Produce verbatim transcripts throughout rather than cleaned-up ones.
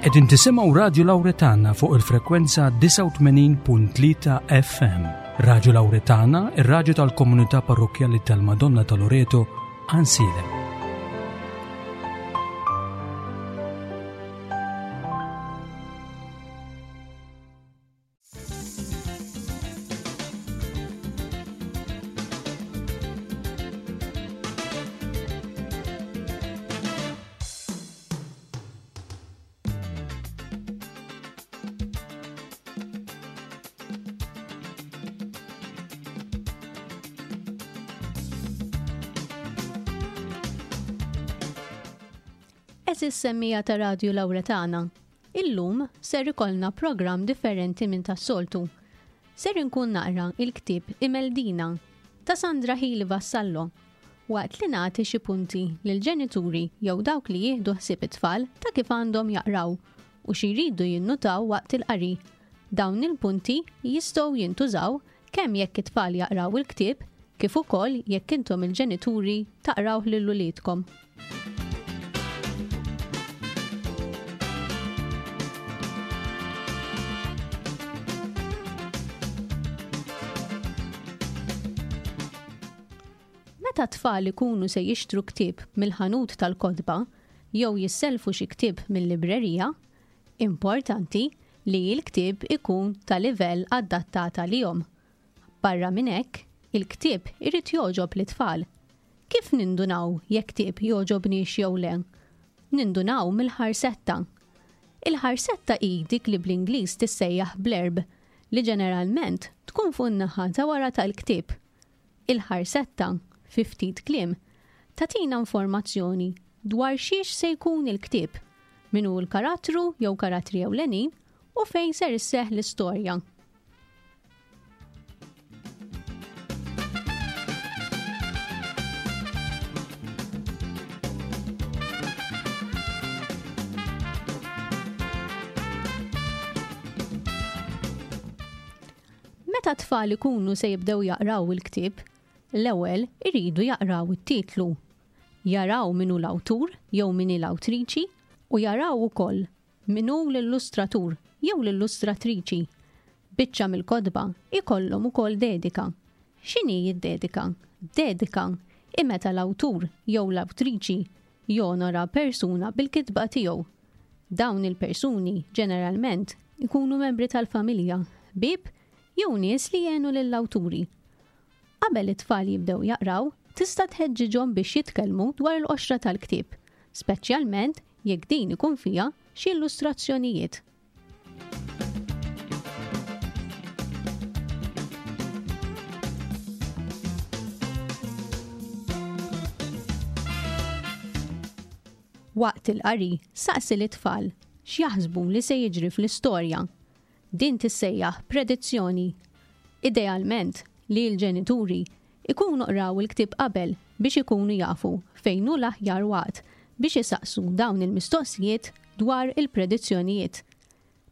Qegħdin tisimgħu Radju Lawretana fuq il-frekwenza disgħa u tmenin punt tlieta F M. Radju Lawretana, ir-radju tal-komunità parrokkjali tal-Madonna ta' Loreto, Għajnsielem. Għeżież semmija ta' Radju Lawretana, illum ser ikollna programm differenti minn tas-soltu. Ser inkun naqra il-ktieb Imeldina ta' Sandra Hili Vassallo, waqt li nagħti xi punti lil ġenituri jew dawk li jieħdu ħsieb it-tfal ta' kif għandhom jaqraw u xi jridu jinnutaw waqt il-qari. Dawn il-punti jistgħu jintużaw kemm jekk it-tfal jaqraw il-ktieb kif ukoll jekk intom il-ġenituri taqrawh lil uliedkom. Meta t-tfal ikunu se jixtru ktieb mill-ħanut tal-kotba jew jisselfu xi ktieb mill-librerija, importanti li l-ktieb ikun ta' livell adattat għalihom. Barra minn hekk, il-ktieb irid jogħġob lit-tfal. Kif nindunaw jekk ktieb jogħġobniex jew le? Nindunaw mill-ħarsetta. Il-ħarsetta hi dik li bl-Ingliż tissejjaħ blurb, li ġeneralment tkun fuq in-naħa ta' wara tal-ktieb. Il-ħarsetta, fi ftit kliem, tatina informazzjoni dwar xiex se jkun il-ktieb, min hu l-karattru jew karattri ewlenin u fejn ser isseħħ l-istorja. Meta t-tfal ikunu se jibdew jaqraw il-ktieb, l-ewwel iridu jaqraw it-titlu, jaraw min hu l-awtur jew min hi l-awtriċi u jaraw ukoll min hu l-illustratur jew l-illustratriċi. Biċċa mill-kotba ikollhom ukoll dedika. X'inhi d-dedika? Dedika hi meta l-awtur jew l-awtriċi jonora persuna bil-kitba tiegħu. Dawn il-persuni ġeneralment ikunu membri tal-familja, ħbieb jew nies li jgħinu lill-awturi. Qabel it-tfal jibdew jaqraw, tista' tħeġġiġhom biex jitkellmu dwar il-qoxra tal-ktieb, speċjalment jekk din ikun fiha xi illustrazzjonijiet. Waqt il-qari, saqsi lit-tfal x'jaħsbu li se jiġri fl-istorja. Din tissejjaħ predizzjoni. Idealment li l-ġenituri ikunu qraw il-ktieb qabel biex ikunu jafu fejn hu l-aħjar waqt biex isaqsu dawn il-mistoqsijiet dwar il-predizzjonijiet.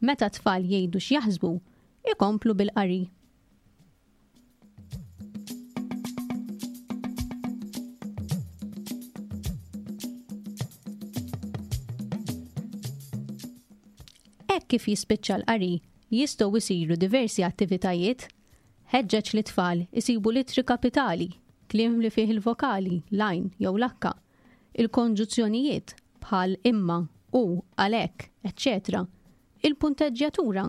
Meta t-tfal jgħidu x'jaħsbu, ikomplu bil-qari. Hekk kif jispiċċa l-qari, jistgħu jsiru diversi attivitajiet. Ħeġġeġ li tfal isibu littri kapitali, kliem li fih il-vokali, l-għajn jew l-akka, il-konġuzzjonijiet bħal imma, u, għalhekk, eċċetera, il-punteġġjatura.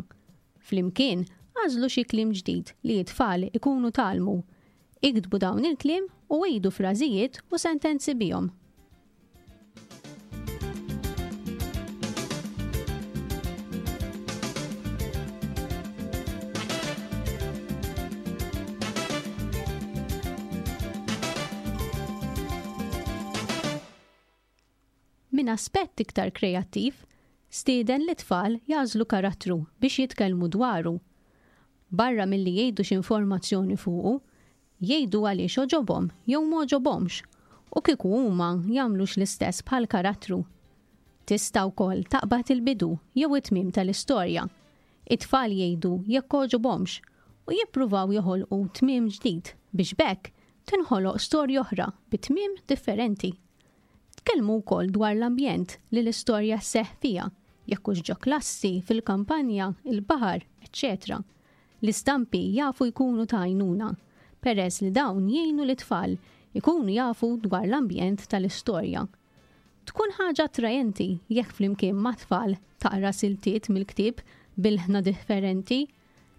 Flimkien, għażlu xi kliem ġdid li t-tfal ikunu tgħallmu. Iktbu dawn il-kliem u għidu frażijiet u sentenzi bihom. Min aspett iktar kreattiv, stieden li tfal jażlu karattru biex jitkellmu dwaru. Barra milli jgħidu x'informazzjoni fuqu, jgħidu għaliex oġobhom jew m'oġobhomx u kieku huma jagħmlux l-istess bħal karattru. Tista' wkoll taqbad il-bidu jew it-tmiem tal-istorja. It-tfal jgħidu jekk oġobhomx u jippruvaw joħolqu tmiem ġdid biex b'hekk tinħoloq storja oħra bi tmiem differenti. Tkellmu wkoll dwar l-ambjent li l-istorja sseħħ fiha Jekk hux ġo klassi, fil-kampanja, il-baħar, eċċetera. L-istampi jafu jkunu ta' għajnuna, peress li dawn jgħinu lit-tfal ikunu jafu dwar l-ambjent tal-istorja. Tkun ħaġa attrajenti jekk flimkien mat-tfal taqra siltiet mill-ktieb b'ilħna differenti,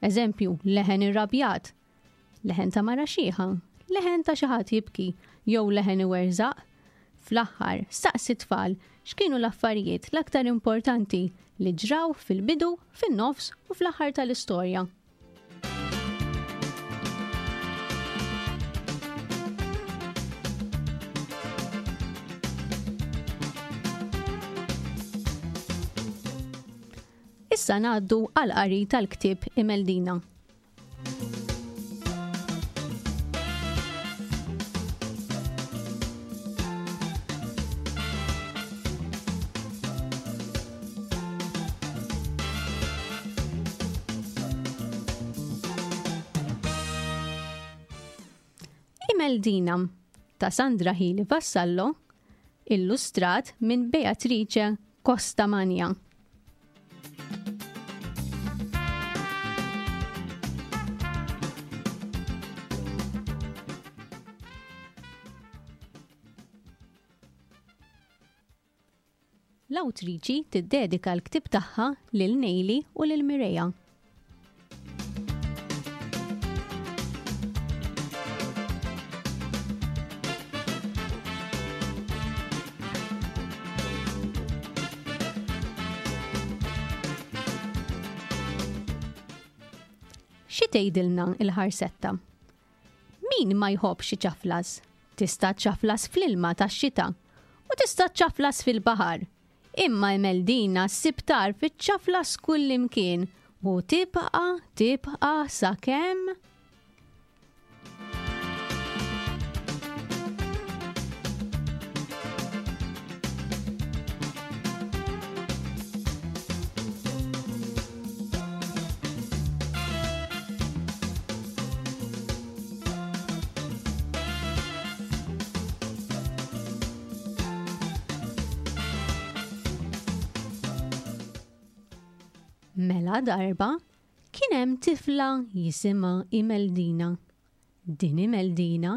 eżempju leħen irrabjat, leħen ta' mara xiħa, leħen ta' xi ħadd jibki jew leħen iwerżaq. Fl-aħħar, staqsi t-tfal x'kienu l-affarijiet l-aktar importanti li ġraw fil-bidu, fin-nofs u fl-aħħar tal-istorja. Issa ngħaddu għal qari tal-ktieb Imeldina. Imeldina ta' Sandra Hili Vassallo, illustrat minn Beatrice Costamagna. L-awtriċi tiddedika l-ktieb tagħha lil Nejli u lil Mireja. Xi tgħidilna l-ħarsetta? Min ma jħobbx iċaflas? Tista' ċaflas fl-ilma tax-xita u tista' ċaflas fil-baħar. Imma Imeldina ssib tarf iċċaflas kullimkien u tibqa' tibqa' sakemm Mela darba kien hemm tifla jisimha Imeldina. Din Imeldina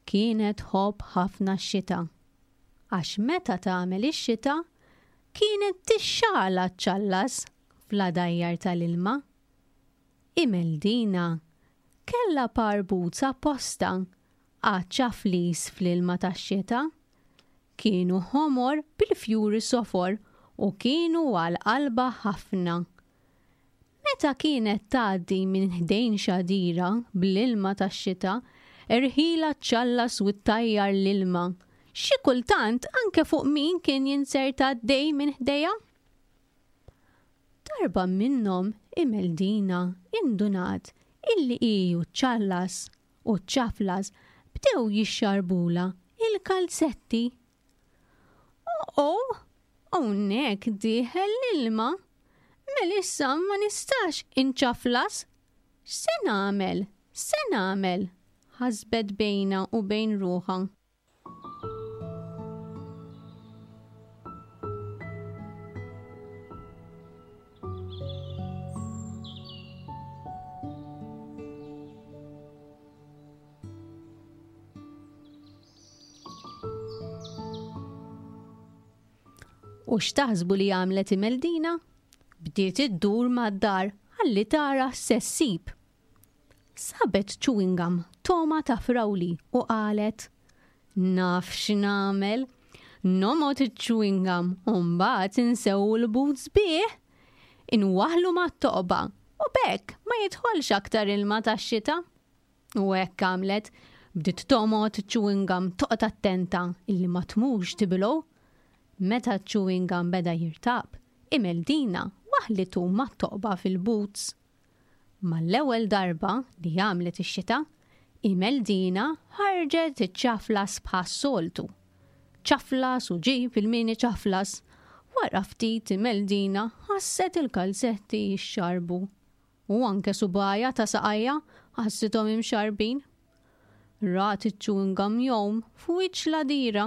kienet tħobb ħafna x-xita. Għax meta tagħmel ix-xita kienet tixxala ċċallas fl-għadajjar tal-ilma. Imeldina kellha par boots apposta għaċ-ċaflis fl-ilma tax-xita. Kienu ħomor bil-fjuri sofor u kienu għal qalba ħafna. Meta kienet tgħaddi minn ħdejn xadira bl-ilma tax-xita, irħila ċċallas u ttajjar l-ilma. Xi kultant anke fuq min kien jinserta għaddej minn ħdejha. Darba minnhom Imeldina indunat illi hi u ċċallas u ċċaflas bdew jixxarbula il-kalzetti. Oh, hawnhekk dieħel l-ilma. Mela issa ma nistax inċaflas. X'se nagħmel? X'se nagħmel? Ħasbet bejna u bejn ruħha. U x'taħsbu li għamlet Imeldina? Bdiet iddur mad-dar ħalli tara x'se ssib. Sabet chewing gum toma ta' frawli u qalet, Naf x'nagħmel, nomgħod iċ-chewing gum u mbagħad insewwu l-boots bih, inwaħħlu mat-toqba u b'hekk ma jidħolx aktar ilma tax-xita. U hekk għamlet, bdiet tomgħod iċ-chewing gum toqgħod attenta illi ma tmurx tibilgħu. Meta ċ-chewing gum beda jirtab, Imeldina waħlitu mat-toqba fil-boots. Mal-ewwel darba li għamlet ix-xita, Imeldina ħarġet iċ-ċaflas bħas-soltu. Ċaflas u ġib il-mini ċaflas. Wara ftit Imeldina ħasset il-kalzetti jixxarbu. U anke subgħajha ta' saqajja ħassithom imxarbin. Rat iċ-chewing gum jgħum f'wiċċ l-għadira.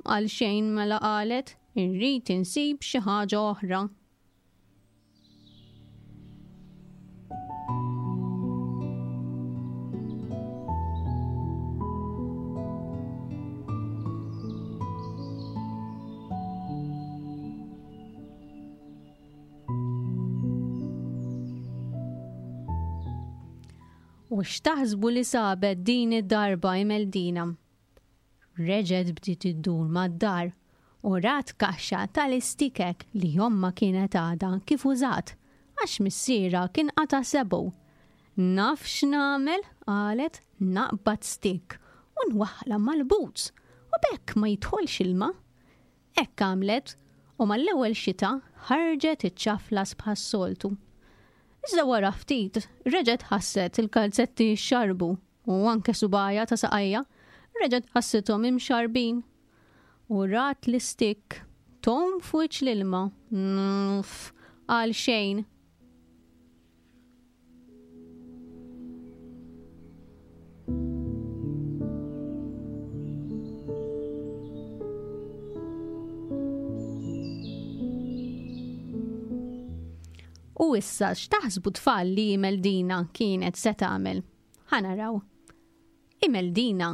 Għal xejn mela qalet, Irrid insib xi ħaġa oħra. U x'taħsbu li sabet din id-darba Imeldina? Reġgħet bdiet iddur mad-dar u rat kaxxa tal-istikek li ommha kienet għadha kif użat għax missierha kien qata' sebgħu. Naf x'nagħmel, qalet, naqbad stik u nwaħħla mal-boots u b'hekk ma jidħolx ilma. Hekk għamlet u mal-ewwel xita ħarġet iċ-ċaflas bħas-soltu. Iżda wara ftit reġgħet ħasset il-kalzetti xxarrbu u anke subgħajha ta' saqajha reġgħet ħassithom imxarrbin. U rat l-istikk tgħum f'wiċċ l-ilma. Uff, għal xejn. U issa x'taħsbu tfal li Imeldina kienet se tagħmel? Ħa naraw. Imeldina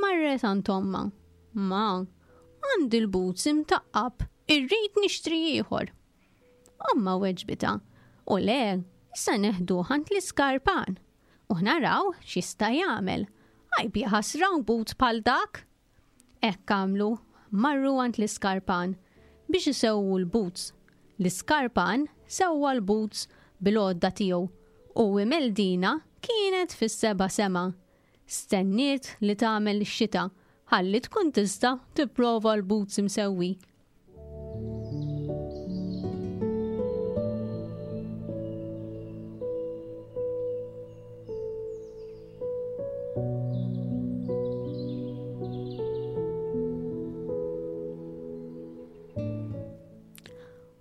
marret għand ommha. Ma, għandi l-boots imtaqqab, irrid nixtri ieħor. Ommha weġbitha, u le, issa neħduh għand l-iskarpan u naraw x'jista' jagħmel. Għajb jaħasra boots bħal dak. Hekk għamlu, marru għand l-iskarpan biex isewwu l-boots. L-iskarpan sewwa l-boots bil-għodda tiegħu u Imeldina kienet fis-seba' sema. Stenniet li tagħmel ix-xita ħalli tkun tista' tipprova l-boots imsewwi.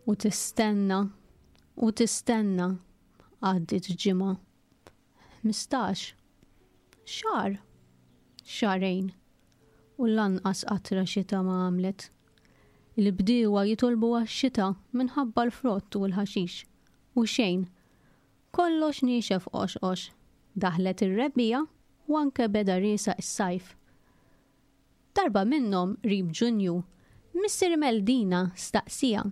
U tistenna, u tistenna, għaddit ġimgħa, ħmistax, xahar, xahrejn, u lanqas qatra xita ma għamlet. Il-bdiewa jitolbu għax-xita minħabba l-frott u l-ħaxix, u xejn. Kollox niexef qoxqox, daħlet ir-rebbiegħa u anke beda riesaq is-sajf. Darba minnhom qrib Ġunju, Missier Imeldina staqsija,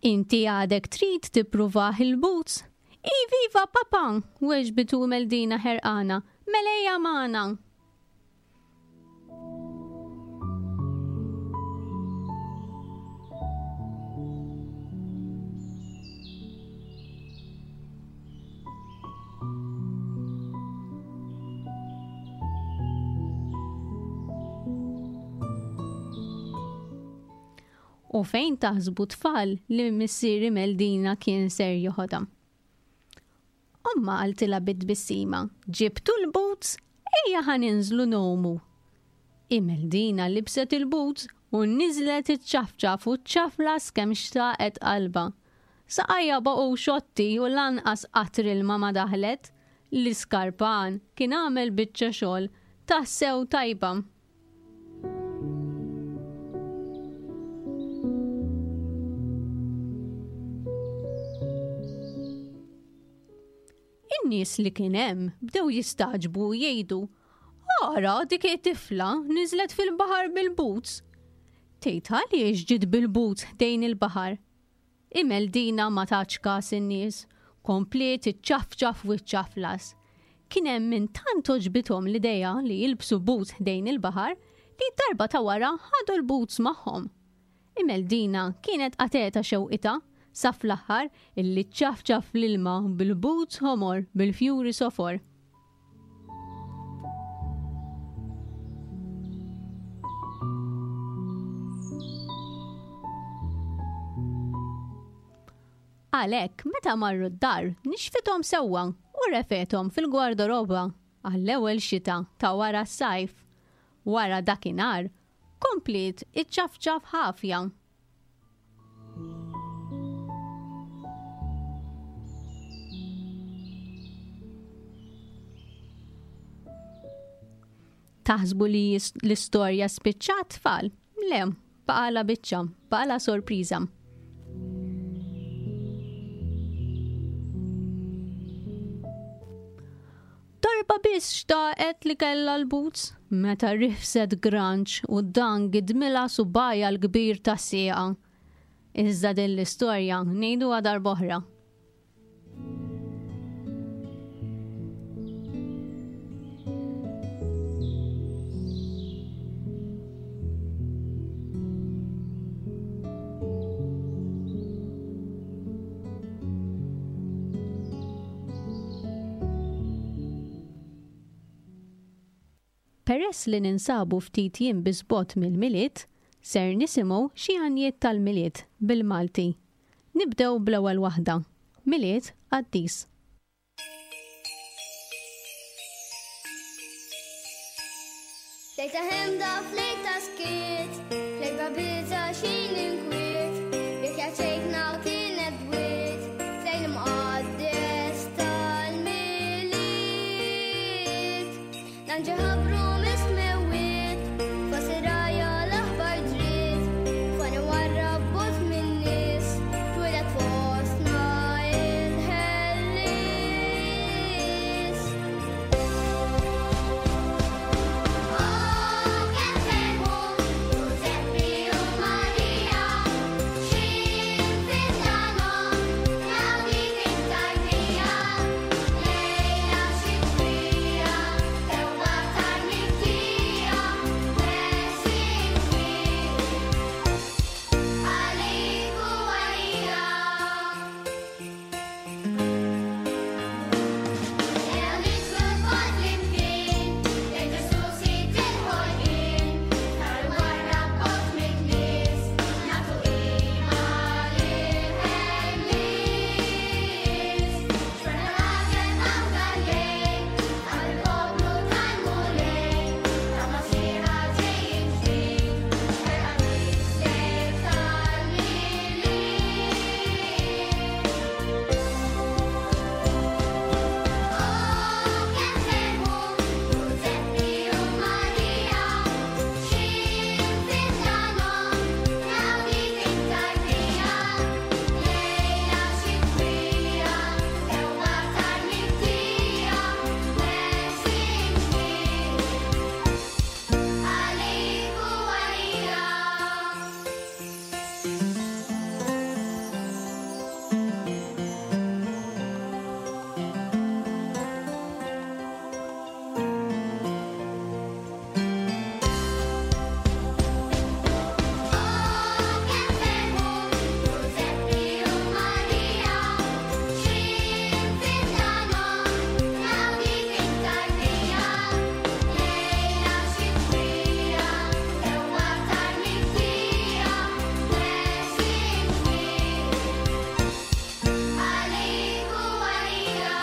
Inti għadek trid tippruvah il-boots? Iva, iva, papa, weġbitu Imeldina ħerqana, mela ejja magħna. U fejn taħsbu tfal li missier Imeldina kien ser joħodha? Omma qaltilha bit-tbissima, ġibtu l-boots, ejja ħa ninżlu ngħumu. Imeldina libset il-boots u niżlet iċ-ċafċaf u ċaflas kemm xtaqet qalbha. Saqajja baqgħu xotti u lanqas qatr ilma ma daħlet. L-iskarpan kien għamel biċċa xogħol tassew tajba. In-nies li kien hemm bdew jistagħġbu u jgħidu, Ara dik it-tifla niżlet fil-baħar bil-boots. Tgħid għaliex ġiet bil-boots ħdejn il-baħar? Imeldina ma tatx kas in-nies, kompliet iċċafċaf u ċċaflas. Kien hemm min tant għoġbithom l-idea li jilbsu boots ħdejn il-baħar li darba ta' wara ħadu l-boots magħhom. Imeldina kienet qatgħetha xewqitha sa fl-aħħar illi ċċafċaf l-ilma bil-boots ħomor bil-fjuri sofor. Għalhekk, meta marru d-dar, nixfithom sewwa u refethom fil-gwardaroba għall-ewwel xita ta' wara s-sajf. Wara dakinhar, kompliet iċċafċaf ħafja. Taħsbu li l-istorja spiċċat tfal? Le, Baqala biċċa, baqala sorpriża. Darba biss xtaqet li kellha l-boots meta rifset granċ u dan gidmilha subgħajha l-kbir tas-sieqa. Iżda din l-istorja ngħiduha darb'oħra. Peress li ninsabu ftit jiem biss bogħod mill-Milied, ser nisimgħu xi għanjiet tal-Milied bil-Malti. Nibdew bl-ewwel waħda, Milied Qaddis. Lejta ħemda f'lejta skiet, f'lejta biża' xejn inkwiet, bikja ċejkna kienet dwiet, fejn imqaddes tal-Milied. L-anġel ħabbru mis-smewwiet, fost ir-rgħajja l-aħbar ġriet, fani warrab bogħod min-nies, twieled fostna il-Ħellies. Oh, kemm ferħu Ġużeppi u Marija, x'in fidlanhom raw dik it-tarbija, lejla xitwija, sewwa tal-miktija, blessing għalik u għalija. Ejja nidħlu lkoll flimkien, lejn Ġesù Sid il-ħolqien, sar warrab bogħod min-nies, nagħtu qima lill-Ħellies. Xorta l-għaġeb hawn dal-lejl, għal il-poplu tal-Mulej, ta' Masiħa ġej ġdid, ferqa nislek tal-Milied. Oh, kemm ferħu Ġużeppi u Marija, x'in fidlanhom raw dik it-tarbija, lejla xitwija, sewwa tal-miktija, blessing għalik u għalija. Oh, kemm ferħu Ġużeppi u Marija, x'in fidlanhom raw dik it-tarbija, lejla xitwija, sewwa tal-miktija, blessing għalik u għalija.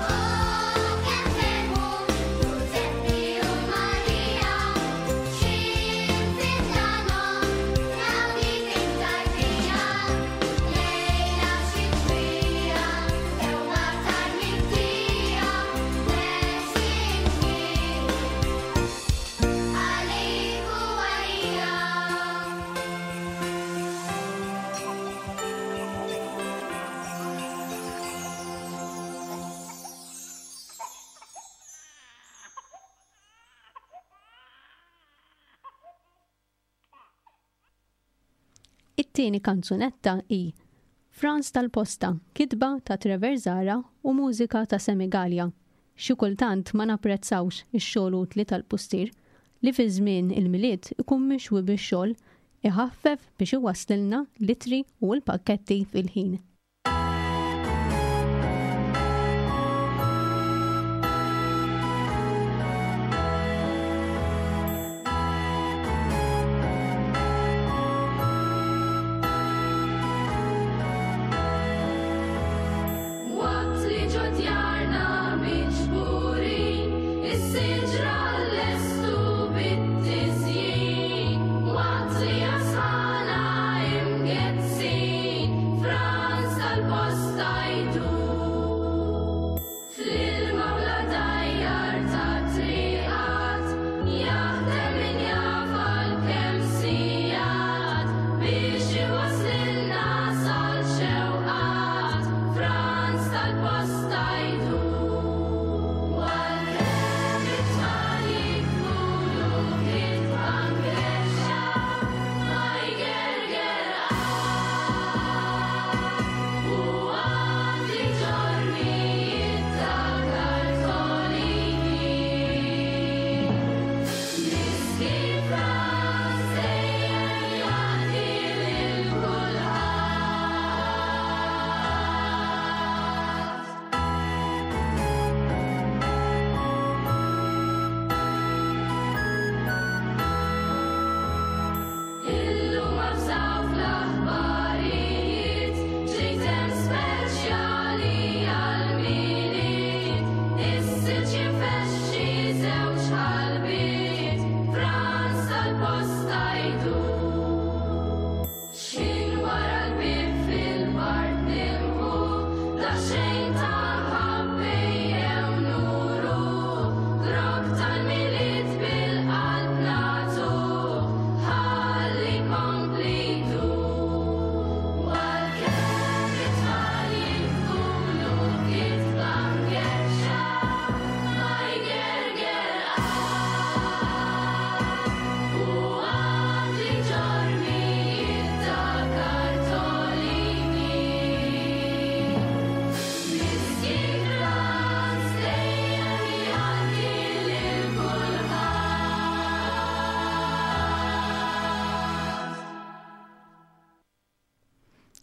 Oh, kemm ferħu Ġużeppi u Marija, x'in fidlanhom raw dik it-tarbija, lejla xitwija, sewwa tal-miktija, blessing għalik u għalija. It-tieni kanzunetta hi Frans tal-Posta, kitba ta' Trevor Zahra u mużika ta' Sammy Galea. Xi kultant ma napprezzawx ix-xogħol utli tal-pustier li fi żmien il-Milied ikun mixwi bix-xogħol iħaffef biex iwasslilna l-ittri u l-pakketti fil-ħin. Waqt li ġo djarna miġburin, is-siġra lestu bit-tiżjin. Waqt li asħana imgezzin, Franz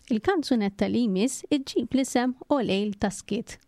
Il-kanzunetta li jmiss iġġib l-isem O Lejl ta' Skiet.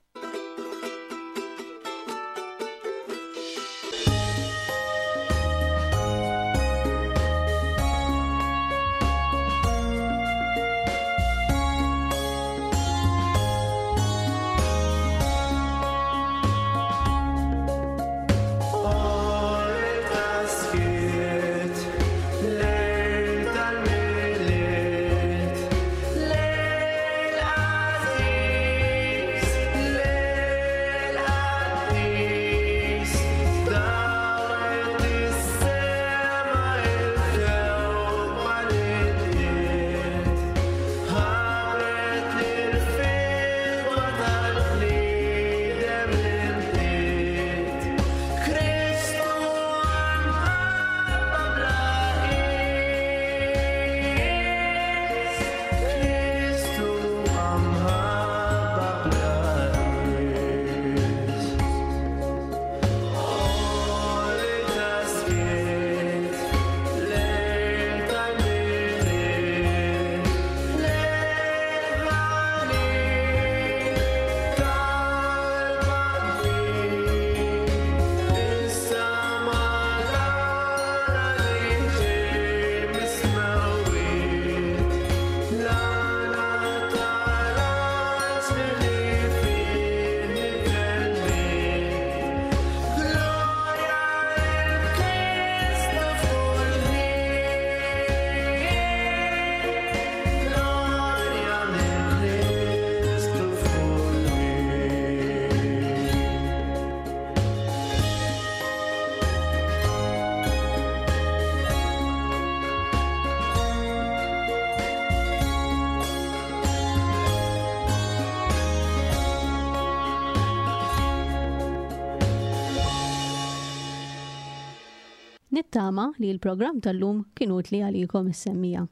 Nittama li l-programm tal-lum kien utli għalikom is-semmiegħa.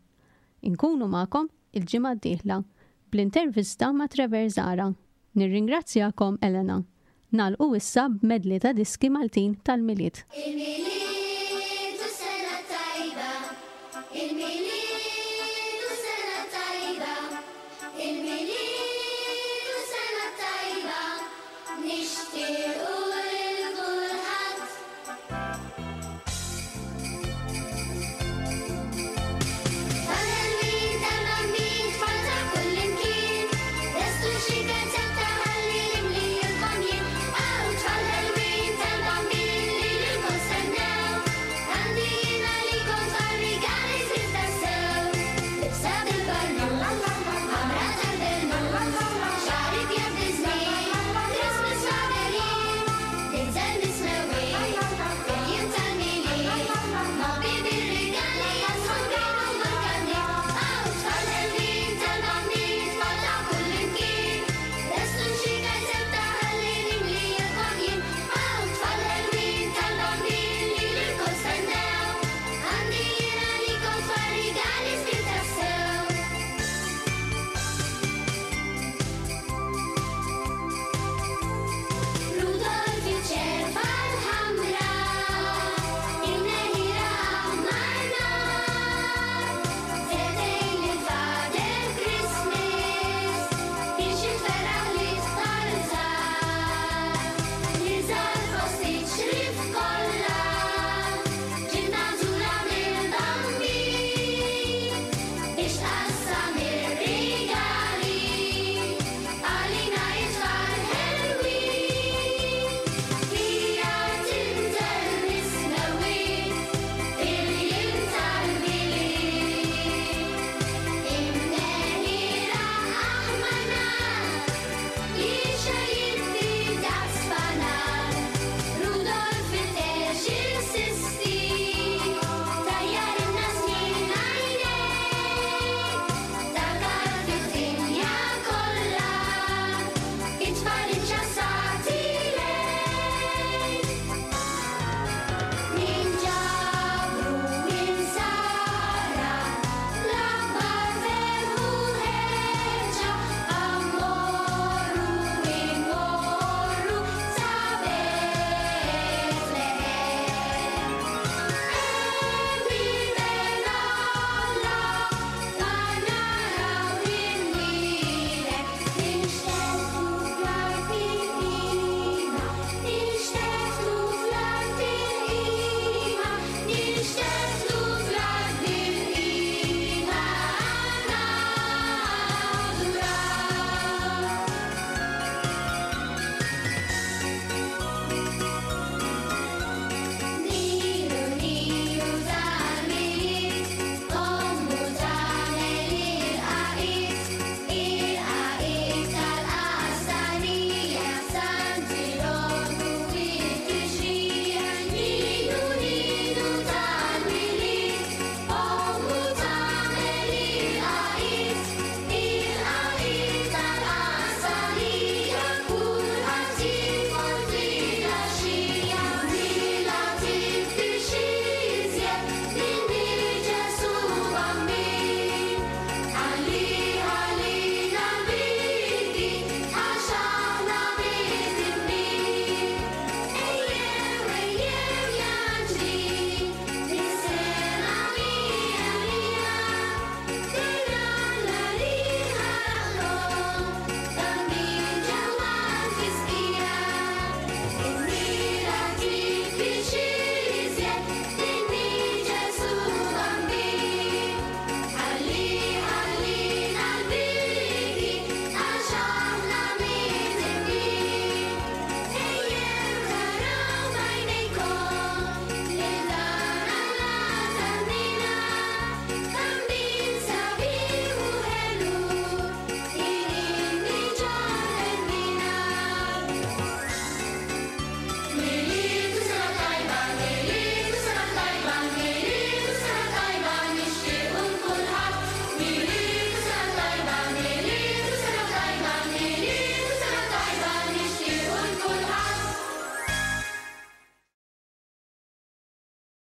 Inkunu magħkom il-ġimgħa d-dieħla bl-intervista ma' Trevor Zara. Nirringrazzjakom Elena. Nagħlqu issa b'medley ta' diski Maltin tal-Milied. Il-Milied